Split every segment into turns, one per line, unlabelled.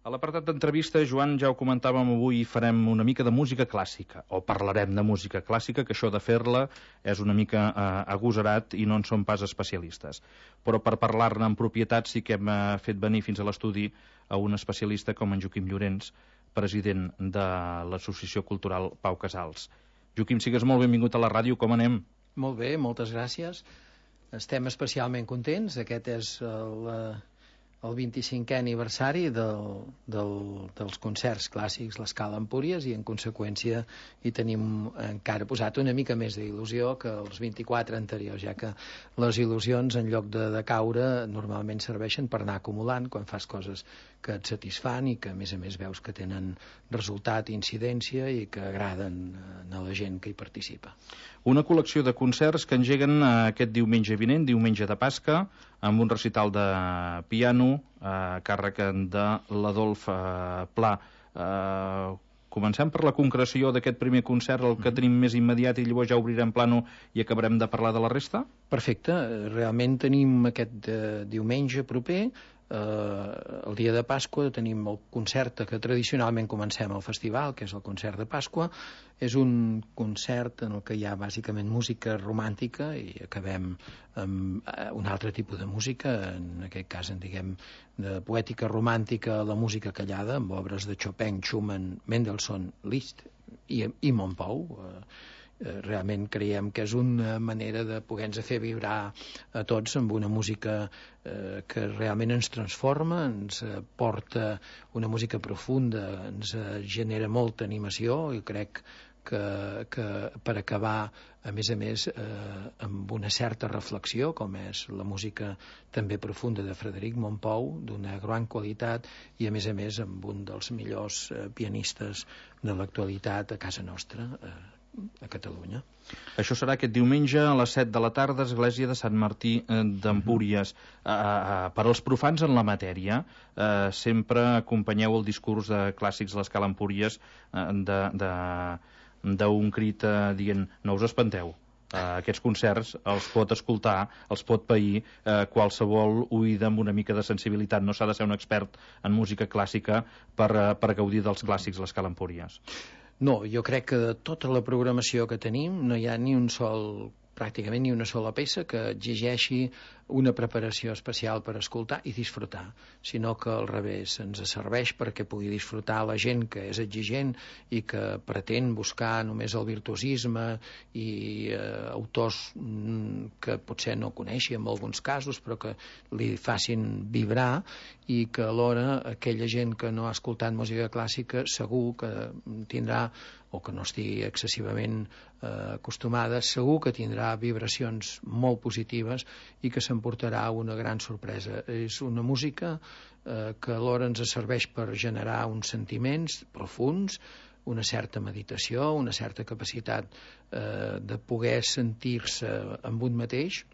A l'apartat d'entrevista, Joan, ja ho comentàvem avui, farem una mica de música clàssica, o parlarem de música clàssica, que això de fer-la és una mica agosarat i no en som pas especialistes. Però per parlar-ne en propietat sí que hem fet venir fins a l'estudi a un especialista com en Joaquim Llorens, president de l'Associació Cultural Pau Casals. Joaquim, sigues molt benvingut a la ràdio, com anem?
Molt bé, moltes gràcies. Estem especialment contents, aquest és el 25è aniversari dels concerts clàssics l'Escala Empúries i en conseqüència hi tenim encara posat una mica més d'il·lusió que els 24 anteriors, ja que les il·lusions en lloc de caure normalment serveixen per anar acumulant quan fas coses que et satisfan i que a més veus que tenen resultat i incidència i que agraden a la gent que hi participa.
Una col·lecció de concerts que engeguen aquest diumenge vinent, diumenge de Pasca, amb un recital de piano a càrrec de l'Adolf Pla. Comencem per la concreció d'aquest primer concert, el que tenim més immediat, i llavors ja obrirem plano i acabarem de parlar de la resta?
Perfecte, realment tenim aquest diumenge proper, el dia de Pasqua, tenim el concert que tradicionalment comencem al festival, que és el concert de Pasqua. És un concert en el que hi ha bàsicament música romàntica i acabem amb un altre tipus de música, en aquest cas en diguem de poètica romàntica, la música callada, amb obres de Chopin, Schumann, Mendelssohn, Liszt i Montpou. Realment creiem que és una manera de poder-nos fer vibrar a tots amb una música que realment ens transforma, ens porta una música profunda, ens genera molta animació i crec que per acabar a més amb una certa reflexió, com és la música també profunda de Frederic Montpou, d'una gran qualitat i a més amb un dels millors pianistes de l'actualitat a casa nostra, a Catalunya.
Això serà aquest diumenge a les 7 de la tarda, església de Sant Martí d'Empúries. Per als profans en la matèria, sempre acompanyeu el discurs de clàssics de l'Escala Empúries d'un crit dient no us espanteu, aquests concerts els pot escoltar, els pot pair qualsevol oïda amb una mica de sensibilitat. No s'ha de ser un expert en música clàssica per gaudir dels clàssics de l'Escala Empúries.
No, jo crec que de tota la programació que tenim no hi ha pràcticament ni una sola peça que exigeixi una preparació especial per escoltar i disfrutar, sinó que al revés ens serveix perquè pugui disfrutar la gent que és exigent i que pretén buscar només el virtuosisme i autors que potser no coneixi en alguns casos però que li facin vibrar, i que alhora aquella gent que no ha escoltat música clàssica segur que tindrà, o que no estigui excessivament acostumada, segur que tindrà vibracions molt positives i que s'emportarà una gran sorpresa. És una música que alhora ens serveix per generar uns sentiments profunds, una certa meditació, una certa capacitat de poder sentir-se amb un mateix,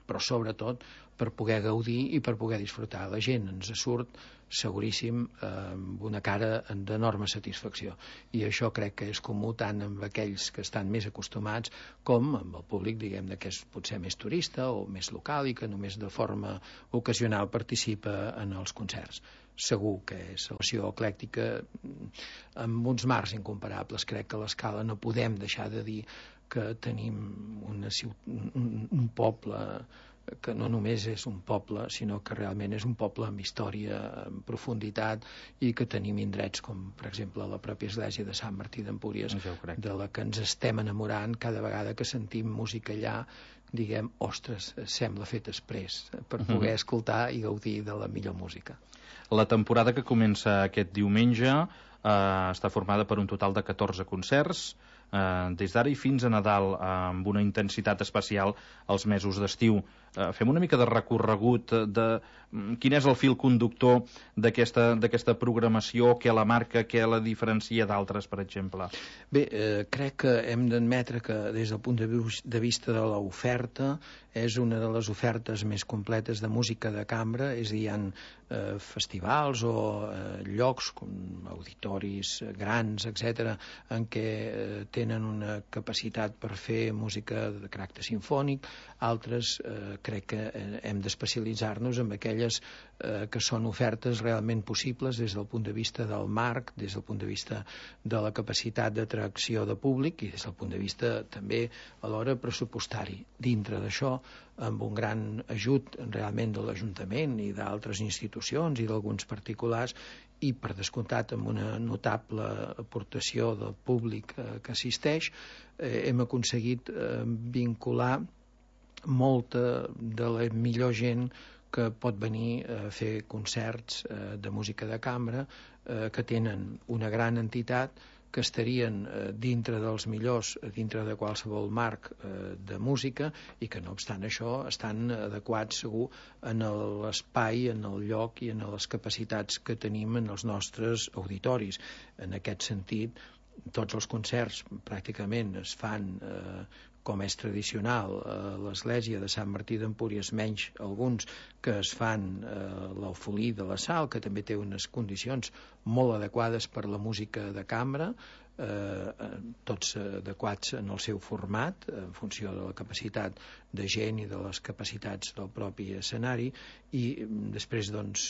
però sobretot per poder gaudir i per poder disfrutar. La gent ens surt seguríssim amb una cara d'enorme satisfacció, i això crec que és comú tant amb aquells que estan més acostumats com amb el públic, diguem-ne, que és potser més turista o més local i que només de forma ocasional participa en els concerts. Segur que és una acció eclèctica amb uns marcs incomparables. Crec que a l'Escala no podem deixar de dir que tenim un poble que no només és un poble, sinó que realment és un poble amb història, amb profunditat, i que tenim indrets com, per exemple, la pròpia església de Sant Martí d'Empúries, de la que ens estem enamorant cada vegada que sentim música allà. Diguem, ostres, sembla fet exprés per poder escoltar i gaudir de la millor música.
La temporada que comença aquest diumenge està formada per un total de 14 concerts, des d'ara i fins a Nadal, amb una intensitat especial als mesos d'estiu. Fem una mica de recorregut de quin és el fil conductor d'aquesta programació, què la marca, què la diferencia d'altres, per exemple.
Bé, crec que hem d'admetre que des del punt de vista de l'oferta és una de les ofertes més completes de música de cambra, és a dir, hi ha festivals o llocs com auditoris grans, etc., en què tenen una capacitat per fer música de caràcter simfònic, altres crec que hem d'especialitzar-nos en aquelles que són ofertes realment possibles des del punt de vista del marc, des del punt de vista de la capacitat d'atracció de públic i des del punt de vista també alhora pressupostari. Dintre d'això, amb un gran ajut realment de l'Ajuntament i d'altres institucions i d'alguns particulars, i per descomptat amb una notable aportació del públic que assisteix, hem aconseguit vincular molta de la millor gent que pot venir a fer concerts de música de cambra, que tenen una gran entitat, que estarien dintre dels millors, dintre de qualsevol marc de música, i que no obstant això estan adequats segur en l'espai, en el lloc i en les capacitats que tenim en els nostres auditoris. En aquest sentit, tots els concerts pràcticament es fan com és tradicional a l'església de Sant Martí d'Empúries, menys alguns que es fan a l'Eufolí de la Sal, que també té unes condicions molt adequades per la música de cambra, tots adequats en el seu format en funció de la capacitat de gent i de les capacitats del propi escenari, i després doncs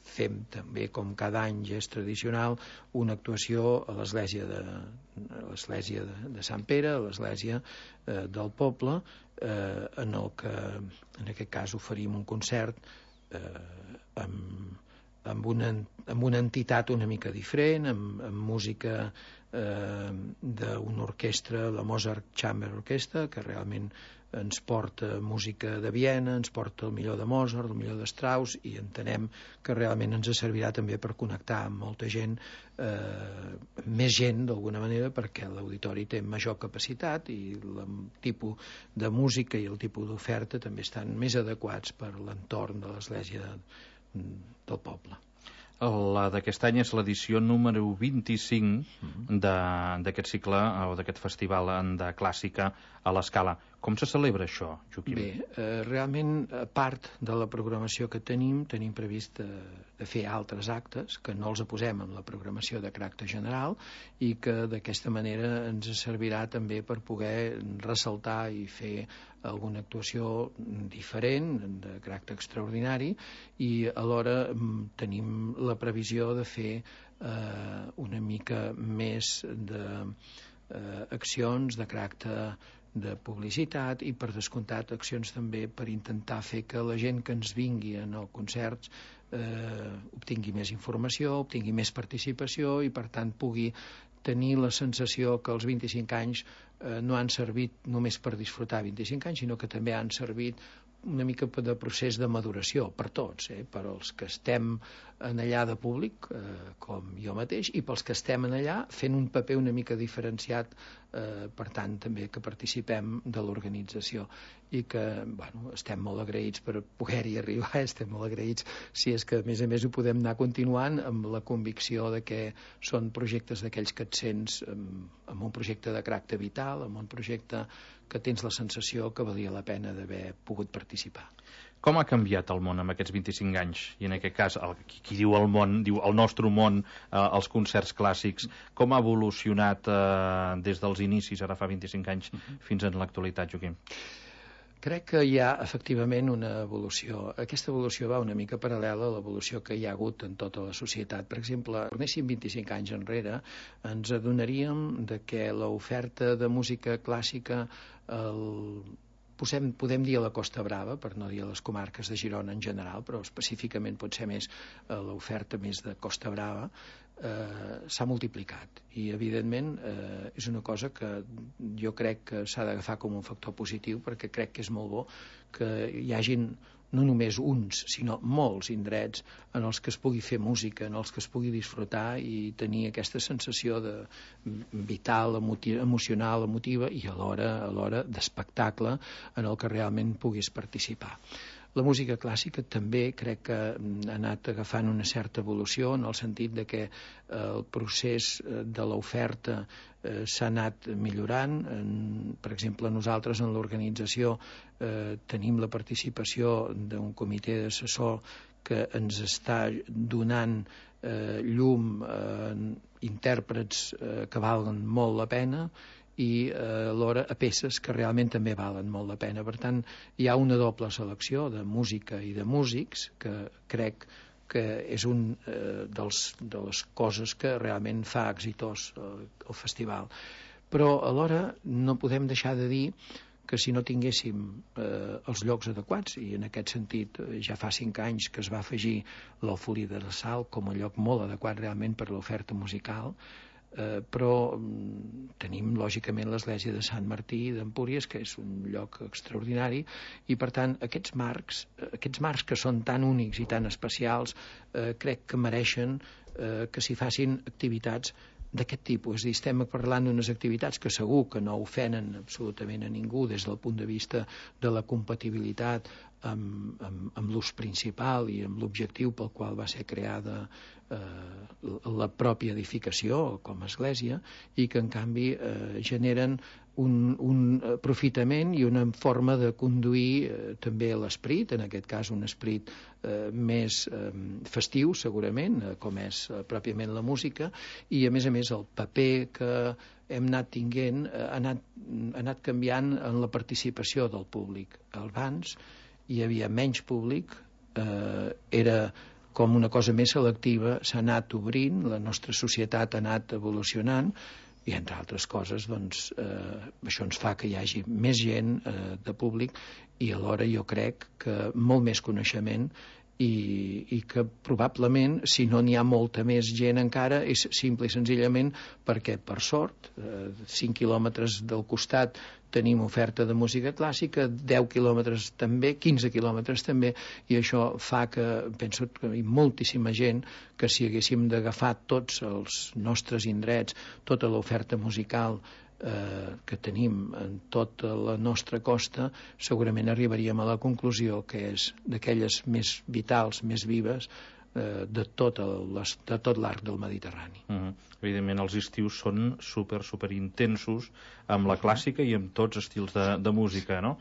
fem també, com cada any ja és tradicional, una actuació a l'església de Sant Pere, a l'església del poble, en el que en aquest cas oferim un concert amb una entitat una mica diferent, amb música d'una orquestra, la Mozart Chamber Orchestra, que realment ens porta música de Viena, ens porta el millor de Mozart, el millor de Strauss, i entenem que realment ens servirà també per connectar amb molta gent, més gent d'alguna manera, perquè l'auditori té major capacitat i el tipus de música i el tipus d'oferta també estan més adequats per l'entorn de l'església del poble.
La d'aquest any és l'edició número 25 d'aquest cicle o d'aquest festival de clàssica a l'Escala. Com se celebra això, Joaquim?
Bé, realment, a part de la programació que tenim previst de fer altres actes que no els posem en la programació de caràcter general i que d'aquesta manera ens servirà també per poder ressaltar i fer alguna actuació diferent, de caràcter extraordinari, i alhora tenim la previsió de fer una mica més d'accions de caràcter de publicitat i, per descomptat, accions també per intentar fer que la gent que ens vingui en els concerts obtingui més informació, obtingui més participació i, per tant, pugui tenir la sensació que els 25 anys no han servit només per disfrutar 25 anys, sinó que també han servit una mica de procés de maduració per tots, per als que estem en allà de públic, com jo mateix, i pels que estem en allà fent un paper una mica diferenciat, per tant també que participem de l'organització, i que estem molt agraïts per poder-hi arribar, estem molt agraïts si és que a més ho podem anar continuant amb la convicció de que són projectes d'aquells que et sents amb un projecte de caràcter vital, amb un projecte que tens la sensació que valia la pena d'haver pogut participar.
Com ha canviat el món en aquests 25 anys? I en aquest cas, qui diu el món, diu el nostre món, els concerts clàssics. Com ha evolucionat des dels inicis, ara fa 25 anys, fins en l'actualitat, Joaquim?
Crec que hi ha efectivament una evolució. Aquesta evolució va una mica paral·lela a l'evolució que hi ha hagut en tota la societat. Per exemple, tornéssim 25 anys enrere, ens adonaríem de que l'oferta de música clàssica podem dir a la Costa Brava, per no dir a les comarques de Girona en general, però específicament pot ser més l'oferta més de Costa Brava, s'ha multiplicat i evidentment és una cosa que jo crec que s'ha d'agafar com un factor positiu, perquè crec que és molt bo que hi hagin no només uns, sinó molts indrets en els que es pugui fer música, en els que es pugui disfrutar i tenir aquesta sensació de vital, emocional, emotiva i alhora d'espectacle en el que realment puguis participar. La música clàssica també crec que ha anat agafant una certa evolució en el sentit de que el procés de l'oferta s'ha anat millorant. Per exemple, nosaltres en l'organització tenim la participació d'un comitè d'assessor que ens està donant llum intèrprets que valguen molt la pena i alhora a peces que realment també valen molt la pena. Per tant, hi ha una doble selecció de música i de músics que crec que és un de les coses que realment fa exitós el festival. Però alhora no podem deixar de dir que si no tinguéssim els llocs adequats, i en aquest sentit ja fa 5 anys que es va afegir l'Alfolí de la Sal com a lloc molt adequat realment per l'oferta musical, però tenim lògicament l'església de Sant Martí d'Empúries, que és un lloc extraordinari, i per tant aquests marcs que són tan únics i tan especials crec que mereixen que s'hi facin activitats d'aquest tipus. És a dir, estem parlant d'unes activitats que segur que no ofenen absolutament a ningú des del punt de vista de la compatibilitat amb l'ús principal i amb l'objectiu pel qual va ser creada la pròpia edificació com a església, i que en canvi generen un aprofitament i una forma de conduir també l'esperit, en aquest cas un esperit més festiu segurament, com és pròpiament la música, i a més el paper que hem anat tinguent ha anat canviant en la participació del públic. Abans hi havia menys públic, era com una cosa més selectiva, s'ha anat obrint, la nostra societat ha anat evolucionant, i entre altres coses doncs, això ens fa que hi hagi més gent de públic, i alhora jo crec que molt més coneixement, i que probablement si no n'hi ha molta més gent encara és simple i senzillament perquè per sort 5 quilòmetres del costat tenim oferta de música clàssica, 10 quilòmetres també, 15 quilòmetres també, i això fa que penso que hi ha moltíssima gent que si haguéssim d'agafar tots els nostres indrets, tota l'oferta musical que tenim en tota la nostra costa, segurament arribaríem a la conclusió que és d'aquelles més vitals, més vives de tot l'arc del Mediterrani.
Evidentment els estius són super intensos amb la clàssica i amb tots estils de música, no?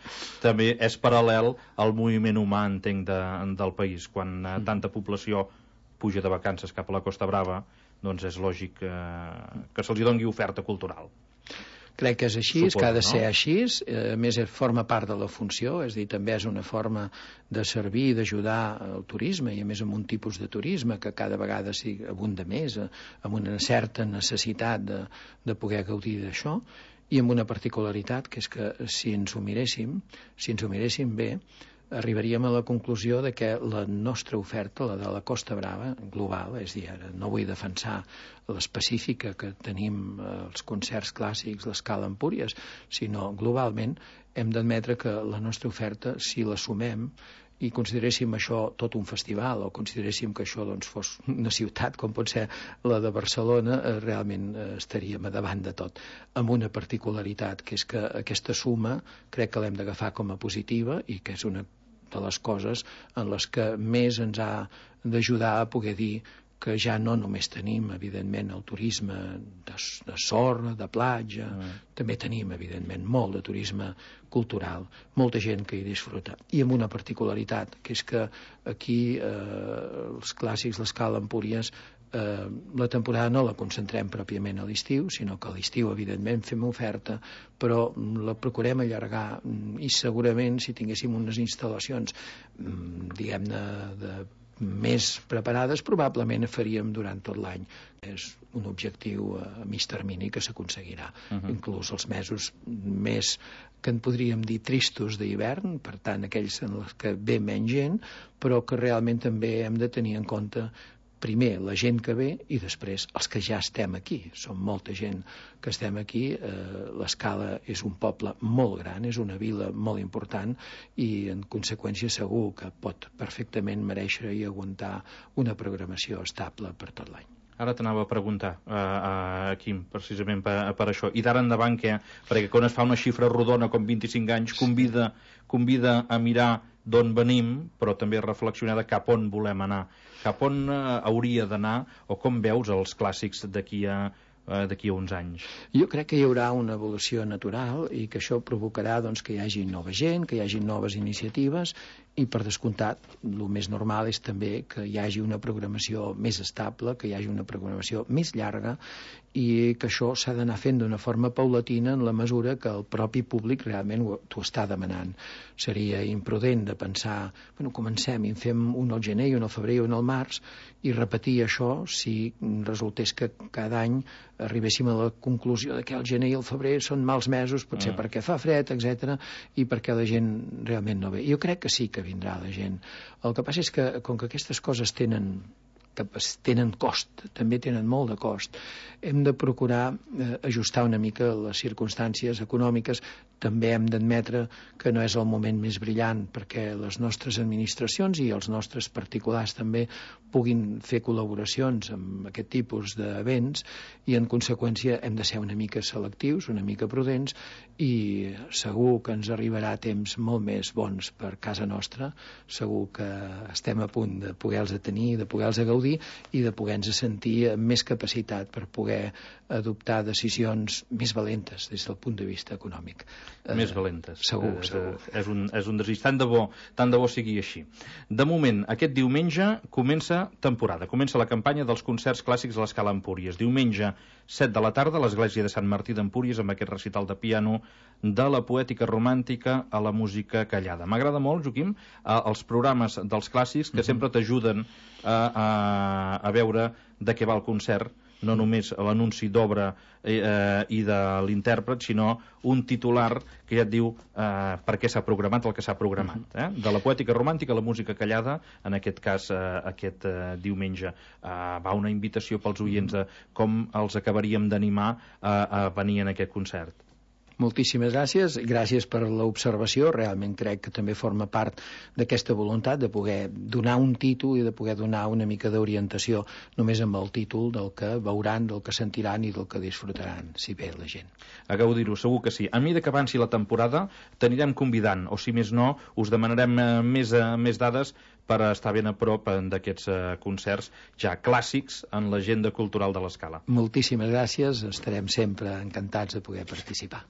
També és paral·lel al moviment humà, entenc, del país. Quan tanta població puja de vacances cap a la Costa Brava, doncs és lògic que se'ls doni oferta cultural.
Crec que és així, que ha de ser així, a més forma part de la funció, és a dir, també és una forma de servir i d'ajudar al turisme, i a més amb un tipus de turisme que cada vegada abunda més, amb una certa necessitat de poder gaudir d'això, i amb una particularitat, que és que si ens ho miréssim bé, arribaríem a la conclusió de que la nostra oferta, la de la Costa Brava, global, és a dir, ara no vull defensar l'específica que tenim els concerts clàssics, l'Escala Empúries, sinó globalment hem d'admetre que la nostra oferta, si la sumem i consideréssim això tot un festival, o consideréssim que això doncs, fos una ciutat com pot ser la de Barcelona, realment estaríem a davant de tot, amb una particularitat, que és que aquesta suma crec que l'hem d'agafar com a positiva, i que és una de les coses en les que més ens ha d'ajudar a poder dir que ja no només tenim, evidentment, el turisme de sorra, de platja, també tenim, evidentment, molt de turisme cultural, molta gent que hi disfruta, i amb una particularitat, que és que aquí els clàssics, l'Escala Empúries, la temporada no la concentrem pròpiament a l'estiu, sinó que a l'estiu, evidentment, fem oferta, però la procurem allargar, i segurament si tinguéssim unes instal·lacions, diguem-ne, més preparades, probablement faríem durant tot l'any. És un objectiu a mig termini que s'aconseguirà. Inclús els mesos més que en podríem dir tristos d'hivern, per tant aquells en els que ve menys gent, però que realment també hem de tenir en compte primer la gent que ve i després els que ja estem aquí. Som molta gent que estem aquí. L'Escala és un poble molt gran, és una vila molt important, i en conseqüència segur que pot perfectament mereixer i aguantar una programació estable per tot l'any.
Ara t'anava a preguntar, Quim, precisament per això. I d'ara endavant què? Perquè quan es fa una xifra rodona com 25 anys, convida a mirar d'on venim, però també a reflexionar de cap on volem anar. Cap on hauria d'anar, o com veus els clàssics d'aquí a d'aquí a uns anys?
Jo crec que hi haurà una evolució natural i que això provocarà que hi hagi nova gent, que hi hagi noves iniciatives i, per descomptat, el més normal és també que hi hagi una programació més estable, que hi hagi una programació més llarga i que això s'ha d'anar fent d'una forma paulatina en la mesura que el propi públic realment t'ho està demanant. Seria imprudent de pensar, comencem i en fem un al gener i un al febrer i un al març i repetir això si resultés que cada any arribéssim a la conclusió que el gener i el febrer són mals mesos, potser perquè fa fred, etc i perquè la gent realment no ve. Jo crec que sí que vindrà la gent. El que passa és que, com que aquestes coses tenen cost, també tenen molt de cost, hem de procurar ajustar una mica les circumstàncies econòmiques. També hem d'admetre que no és el moment més brillant perquè les nostres administracions i els nostres particulars també puguin fer col·laboracions amb aquest tipus d'events i, en conseqüència, hem de ser una mica selectius, una mica prudents i segur que ens arribarà temps molt més bons per casa nostra. Segur que estem a punt de poder-los tenir, de poder-los gaudir i de poder-nos sentir amb més capacitat per poder adoptar decisions més valentes des del punt de vista econòmic.
Més valentes.
Segur.
És un desig. Tant de bo sigui així. De moment, aquest diumenge comença temporada. Comença la campanya dels concerts clàssics a l'Escala Empúries. Diumenge, 7 de la tarda, a l'Església de Sant Martí d'Empúries, amb aquest recital de piano de la poètica romàntica a la música callada. M'agrada molt, Joaquim, els programes dels clàssics que sempre t'ajuden a veure de què va el concert, no només l'anunci d'obra i de l'intèrpret, sinó un titular que ja et diu per què s'ha programat el que s'ha programat. De la poètica romàntica a la música callada, en aquest cas aquest diumenge. Va una invitació pels oients de com els acabaríem d'animar a venir en aquest concert.
Moltíssimes gràcies, gràcies per l'observació. Realment crec que també forma part d'aquesta voluntat de poder donar un títol i de poder donar una mica d'orientació només amb el títol del que veuran, del que sentiran i del que disfrutaran, si ve la gent.
A gaudir-ho, segur que sí. A mesura que avanci la temporada t'anirem convidant, o si més no, us demanarem més dades per estar ben a prop d'aquests concerts ja clàssics en l'agenda cultural de l'Escala.
Moltíssimes gràcies, estarem sempre encantats de poder participar.